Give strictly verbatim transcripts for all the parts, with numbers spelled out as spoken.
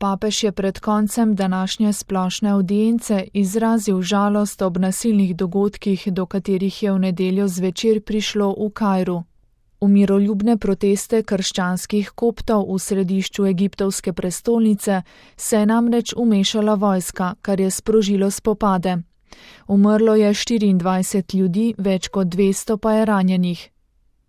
Papež je pred koncem današnje splošne avdience izrazil žalost ob nasilnih dogodkih, do katerih je v nedeljo zvečer prišlo v Kairu. V miroljubne proteste krščanskih koptov v središču egiptovske prestolnice se je namreč umešala vojska, kar je sprožilo spopade. Umrlo je štiriindvajset ljudi, več kot dvesto pa je ranjenih.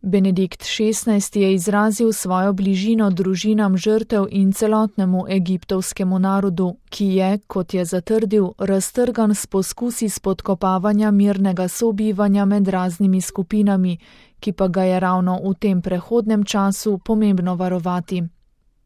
Benedikt šestnajsti je izrazil svojo bližino družinam žrtev in celotnemu egiptovskemu narodu, ki je, kot je zatrdil, raztrgan s poskusi spodkopavanja mirnega sobivanja med raznimi skupinami, ki pa ga je ravno v tem prehodnem času pomembno varovati.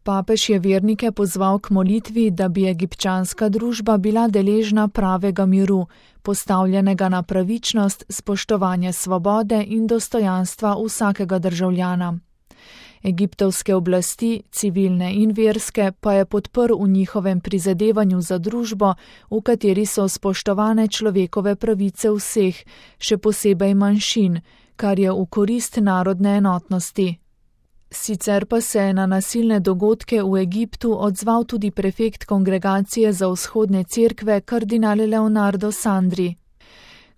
Papež je vernike pozval k molitvi, da bi egipčanska družba bila deležna pravega miru, postavljenega na pravičnost, spoštovanje svobode in dostojanstva vsakega državljana. Egiptovske oblasti, civilne in verske, pa je podprl v njihovem prizadevanju za družbo, v kateri so spoštovane človekove pravice vseh, še posebej manjšin, kar je v korist narodne enotnosti. Sicer pa se je na nasilne dogodke v Egiptu odzval tudi prefekt Kongregacije za vzhodne cerkve kardinal Leonardo Sandri.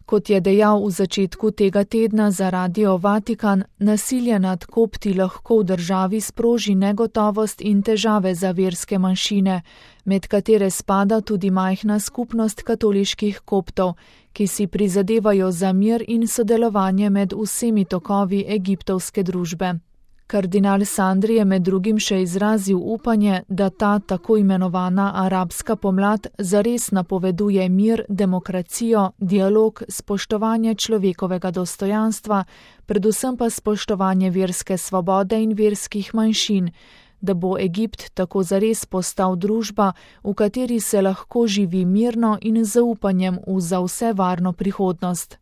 Kot je dejal v začetku tega tedna za Radio Vatikan, nasilje nad kopti lahko v državi sproži negotovost in težave za verske manjšine, med katere spada tudi majhna skupnost katoliških koptov, ki si prizadevajo za mir in sodelovanje med vsemi tokovi egiptovske družbe. Kardinal Sandri je med drugim še izrazil upanje, da ta tako imenovana arabska pomlad zares napoveduje mir, demokracijo, dialog, spoštovanje človekovega dostojanstva, predvsem pa spoštovanje verske svobode in verskih manjšin, da bo Egipt tako zares postal družba, v kateri se lahko živi mirno in z zaupanjem v za vse varno prihodnost.